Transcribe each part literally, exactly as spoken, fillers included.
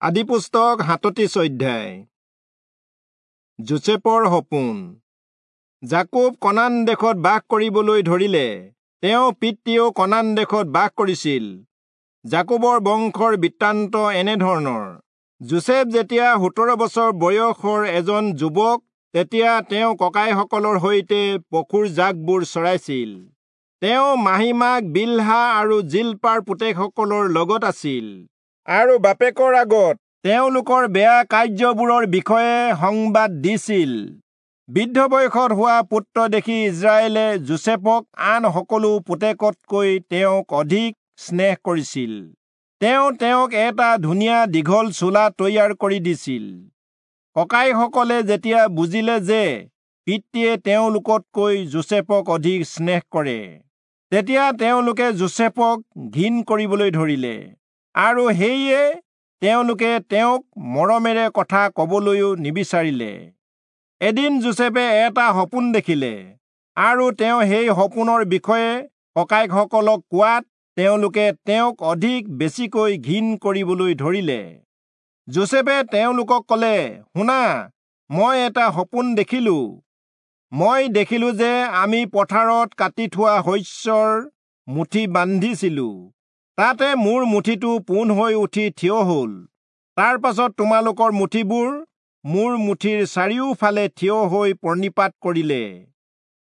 আদিপুস্তক সাতত্ৰিশ অধ্যায়। যোচেফৰ সপোন। যাকোব কনান দেশত বাস কৰিবলৈ ধৰিলে। তেওঁ পিতৃয়েও কনান দেশত বাস কৰিছিল। যাকোবৰ বংশৰ বৃত্তান্ত এনেধৰণৰ। যোচেফ যেতিয়া সোতৰ বছৰ বয়সৰ এজন যুৱক, তেতিয়া তেওঁ ককাইসকলৰ সৈতে পশুৰ জাকবোৰ চৰাইছিল। তেওঁ মাহীমাক বিলহা আৰু জিলপাৰ পুতেকসকলৰ লগত আছিল আৰু বাপেকৰ আগত তেওঁলোকৰ বেয়া কাৰ্যবোৰৰ বিষয়ে সংবাদ দিছিল। বৃদ্ধ বয়সত হোৱা পুত্ৰ দেখি ইস্ৰায়েলে যোচেফক আন সকলো পুতেকতকৈ তেওঁক অধিক স্নেহ কৰিছিল। তেওঁ তেওঁক এটা ধুনীয়া দীঘল চোলা তৈয়াৰ কৰি দিছিল। ককাইসকলে যেতিয়া বুজিলে যে পিতৃয়ে তেওঁলোকতকৈ যোচেফক অধিক স্নেহ কৰে, তেতিয়া তেওঁলোকে যোচেফক ঘিণ কৰিবলৈ ধৰিলে আৰু সেয়ে তেওঁলোকে তেওঁক মৰমেৰে কথা কবলৈও নিবিচাৰিলে। এদিন যোচেফে এটা সপোন দেখিলে আৰু তেওঁ সেই সপোনৰ বিষয়ে ককাইসকলক কোৱাত তেওঁলোকে তেওঁক অধিক বেছিকৈ ঘিণ কৰিবলৈ ধৰিলে। যোচেফে তেওঁলোকক কলে, শুনা, মই এটা সপোন দেখিলো। মই দেখিলো যে আমি পথাৰত কাটি থোৱা শস্যৰ মুঠি বান্ধিছিলো। তাতে মোৰ মুঠিটো পোন হৈ উঠি থিয় হল। তাৰ পাছত তোমালোকৰ মুঠিবোৰ মোৰ মুঠিৰ চাৰিওফালে থিয় হৈ প্ৰণিপাত কৰিলে।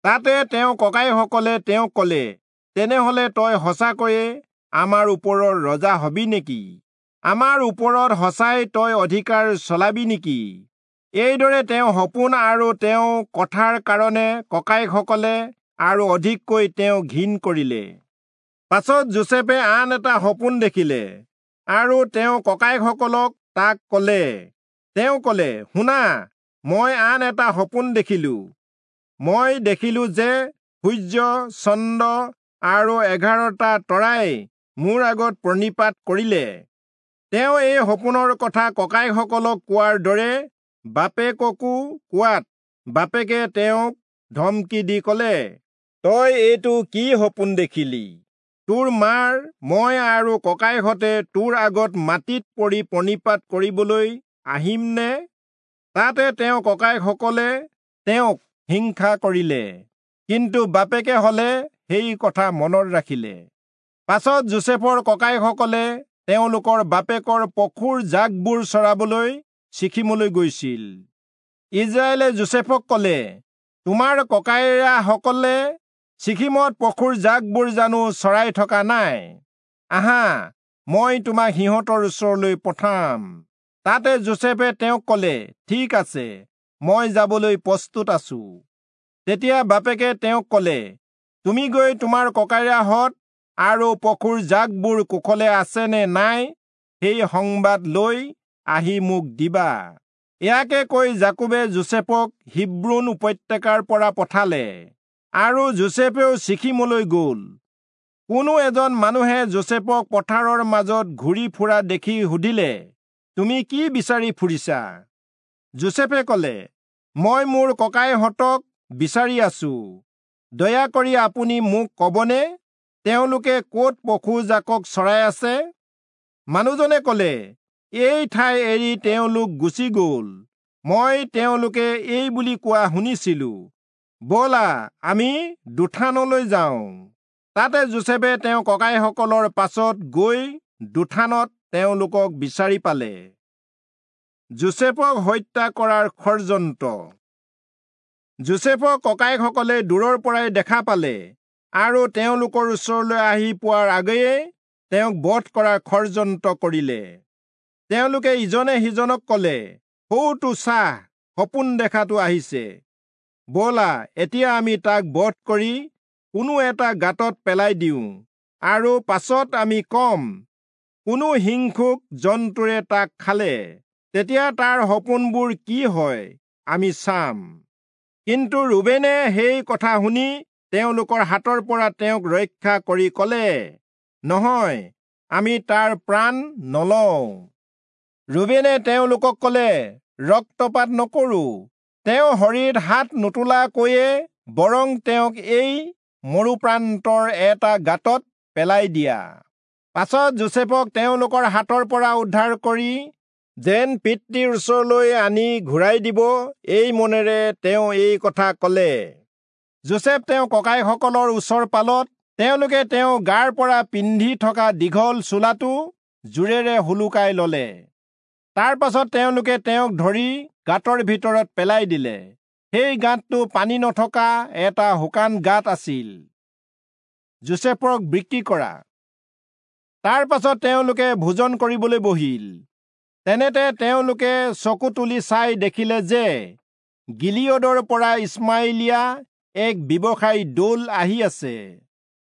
তাতে তেওঁ ককাইসকলে তেওঁক কলে, তেনেহলে তই সঁচাকৈয়ে আমাৰ ওপৰৰ ৰজা হবি নেকি? আমাৰ ওপৰত সঁচাই তই অধিকাৰ চলাবি নেকি? এইদৰে তেওঁ সপোন আৰু তেওঁ কথাৰ কাৰণে ককাইসকলে আৰু অধিককৈ তেওঁ ঘিণ কৰিলে। পাছত যোচেফে আন এটা সপোন দেখিলে আৰু তেওঁ ককাইসকলক তাক কলে। তেওঁ কলে, শুনা, মই আন এটা সপোন দেখিলো। মই দেখিলো যে সূৰ্য, চন্দ্ৰ আৰু এঘাৰটা তৰাই মোৰ আগত প্ৰণিপাত কৰিলে। তেওঁ এই সপোনৰ কথা ককাইসকলক কোৱাৰ দৰে বাপেককো কোৱাত বাপেকে তেওঁক ধমকি দি কলে, তই এইটো কি সপোন দেখিলি? তোৰ মাৰ, মই আৰু ককাইহঁতে তোৰ আগত মাটিত পৰি প্ৰণিপাত কৰিবলৈ আহিম নে? তাতে তেওঁ ককাইসকলে তেওঁক হিংসা কৰিলে, কিন্তু বাপেকে হলে সেই কথা মনত ৰাখিলে। পাছত যোচেফৰ ককাইসকলে তেওঁলোকৰ বাপেকৰ পশুৰ জাকবোৰ চৰাবলৈ চিখিমলৈ গৈছিল। ইস্ৰায়েলে যোচেফক কলে, তোমাৰ ককাইৰাসকলে চিখিমত পশুৰ জাকবোৰ জানো চৰাই থকা নাই? আহা, মই তোমাক সিহঁতৰ ওচৰলৈ পঠাম। তাতে যোচেফে তেওঁক কলে, ঠিক আছে, মই যাবলৈ প্ৰস্তুত আছো। তেতিয়া বাপেকে তেওঁক কলে, তুমি গৈ তোমাৰ ককাইৰাহঁত আৰু পশুৰ জাকবোৰ কুশলে আছে নে নাই সেই সংবাদ লৈ আহি মোক দিবা। ইয়াকে কৈ যাকোবে যোচেফক হিব্ৰোণ উপত্যকাৰ পৰা পঠালে আৰু যোচেফেও চিখিমলৈ গল। কোনো এজন মানুহে যোচেফক পথাৰৰ মাজত ঘূৰি ফুৰা দেখি সুধিলে, তুমি কি বিচাৰি ফুৰিছা? যোচেফে কলে, মই মোৰ ককাইহঁতক বিচাৰি আছো। দয়া কৰি আপুনি মোক কবনে তেওঁলোকে ক'ত পশুজাকক চৰাই আছে? মানুহজনে কলে, এই ঠাই এৰি তেওঁলোক গুচি গল। মই তেওঁলোকে এই বুলি কোৱা শুনিছিলো, ব'লা আমি দোথানলৈ যাওঁ। তাতে যোচেফে তেওঁ ককাইসকলৰ পাছত গৈ দোথানত তেওঁলোকক বিচাৰি পালে। যোচেফক হত্যা কৰাৰ ষড়যন্ত্ৰ। যোচেফক ককাইসকলে দূৰৰ পৰাই দেখা পালে আৰু তেওঁলোকৰ ওচৰলৈ আহি পোৱাৰ আগেয়ে তেওঁক বধ কৰাৰ ষড়যন্ত্ৰ কৰিলে। তেওঁলোকে ইজনে সিজনক কলে, সৌটো চাহ, সপোন দেখাটো আহিছে। ব'লা, এতিয়া আমি তাক বধ কৰি কোনো এটা গাঁতত পেলাই দিওঁ আৰু পাছত আমি কম, কোনো হিংসুক জন্তুৰে তাক খালে। তেতিয়া তাৰ সপোনবোৰ কি হয় আমি চাম। কিন্তু ৰুবেনে সেই কথা শুনি তেওঁলোকৰ হাতৰ পৰা তেওঁক ৰক্ষা কৰি কলে, নহয়, আমি তাৰ প্ৰাণ নলওঁ। ৰুবেনে তেওঁলোকক কলে, ৰক্তপাত নকৰো। তেওঁ শৰীৰত হাত নোতোলাকৈয়ে বৰং তেওঁক এই মৰুপ্ৰান্তৰ এটা গাঁতত পেলাই দিয়া। পাছত যোচেফক তেওঁলোকৰ হাতৰ পৰা উদ্ধাৰ কৰি যেন পিতৃৰ ওচৰলৈ আনি ঘূৰাই দিব, এই মনেৰে তেওঁ এই কথা কলে। যোচেফ তেওঁ ককাইসকলৰ ওচৰ পালত তেওঁলোকে তেওঁ গাৰ পৰা পিন্ধি থকা দীঘল চোলাটো জোৰেৰে সোলোকাই ললে। তাৰ পাছত তেওঁলোকে তেওঁক ধৰি গাঁতৰ ভিতৰত পেলাই দিলে। সেই গাঁতটো পানী নথকা এটা শুকান গাঁত আছিল। যোচেফক বিক্ৰী কৰা। তাৰ পাছত তেওঁলোকে ভোজন কৰিবলৈ বহিল। তেনেতে তেওঁলোকে চকু তুলি চাই দেখিলে যে গিলিয়দৰ পৰা ইছমাইলীয়া এক ব্যৱসায়ী দল আহি আছে।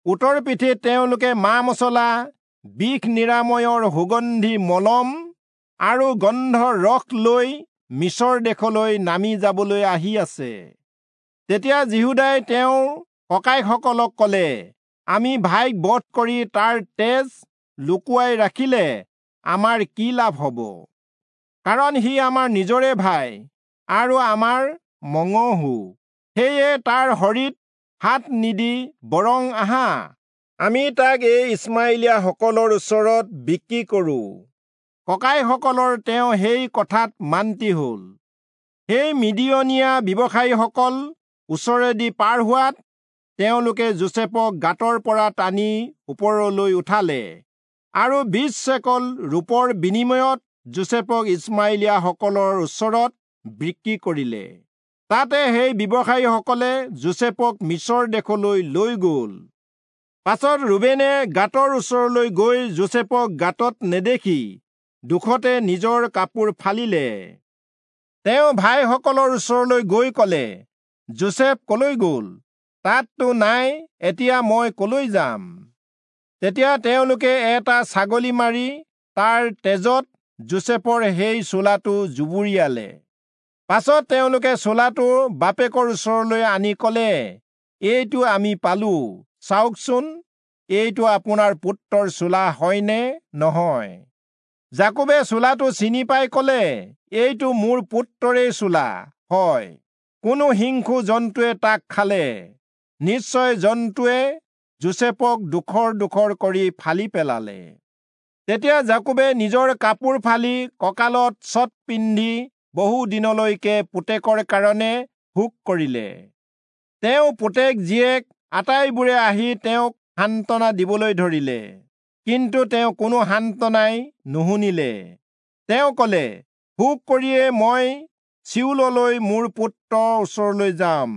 উটৰ পিঠিত তেওঁলোকে মা মছলা, বিষ নিৰাময়ৰ সুগন্ধি মলম আৰু গন্ধ ৰস লৈ মিছৰ দেশলৈ নামি যাবলৈ আহি আছে। তেতিয়া যিহূদাই তেওঁৰ ককাইসকলক কলে, আমি ভাইক বধ কৰি তাৰ তেজ লুকুৱাই ৰাখিলে আমাৰ কি লাভ হ'ব? কাৰণ সি আমাৰ নিজৰে ভাই আৰু আমাৰ মঙহো। সেয়ে তাৰ শৰীৰত হাত নিদি বৰং আহা, আমি তাক এই ইছমাইলীয়াসকলৰ ওচৰত বিক্ৰী কৰোঁ। ককাইসকলৰ তেওঁ সেই কথাত মান্তি হ'ল। সেই মিদিয়নীয়া ব্যৱসায়ীসকল ওচৰেদি পাৰ হোৱাত তেওঁলোকে যোচেফক গাঁতৰ পৰা টানি ওপৰলৈ উঠালে আৰু বিশ চেকল ৰূপৰ বিনিময়ত যোচেফক ইছমাইলীয়াসকলৰ ওচৰত বিক্ৰী কৰিলে। তাতে সেই ব্যৱসায়ীসকলে যোচেফক মিছৰ দেশলৈ লৈ গ'ল। পাছত ৰুবেনে গাঁতৰ ওচৰলৈ গৈ যোচেফক গাঁতত নেদেখি দুখতে নিজৰ কাপোৰ ফালিলে। তেওঁ ভাইসকলৰ ওচৰলৈ গৈ কলে, যোচেফ কলৈ গ'ল? তাততো নাই, এতিয়া মই কলৈ যাম? তেতিয়া তেওঁলোকে এটা ছাগলী মাৰি তাৰ তেজত যোচেফৰ সেই চোলাটো জুবুৰিয়ালে। পাছত তেওঁলোকে চোলাটো বাপেকৰ ওচৰলৈ আনি কলে, এইটো আমি পালো, চাওকচোন, এইটো আপোনাৰ পুত্ৰৰ চোলা হয়নে নহয়? যাকোবে চোলাটো চিনি পাই কলে, এইটো মোৰ পুত্ৰৰে চোলা হয়, কোনো হিংসু জন্তুৱে তাক খালে। নিশ্চয় জন্তুৱে যোচেফক ডোখৰ ডোখৰ কৰি ফালি পেলালে। তেতিয়া যাকোবে নিজৰ কাপোৰ ফালি কঁকালত চট পিন্ধি বহু দিনলৈকে পুতেকৰ কাৰণে শোক কৰিলে। তেওঁ পুতেক জীয়েক আটাইবোৰে আহি তেওঁক সান্তনা দিবলৈ ধৰিলে, কিন্তু তেওঁ কোনো সান্তনাই নুশুনিলে। তেওঁ কলে, শোক কৰিয়ে মই চিউললৈ মোৰ পুত্ৰৰ ওচৰলৈ যাম।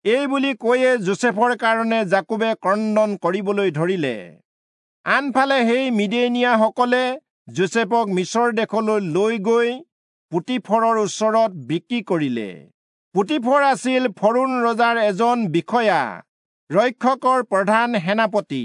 এই বুলি কৈয়ে যোচেফৰ কাৰণে যাকোবে ক্ৰন্দন কৰিবলৈ ধৰিলে। আনফালে সেই মিদিয়নীয়াসকলে যোচেফক মিছৰ দেশলৈ লৈ গৈ পুতিফৰৰ ওচৰত বিক্ৰী কৰিলে। পুতিফৰ আছিল ফৰোণ ৰজাৰ এজন বিষয়া, ৰক্ষকৰ প্ৰধান সেনাপতি।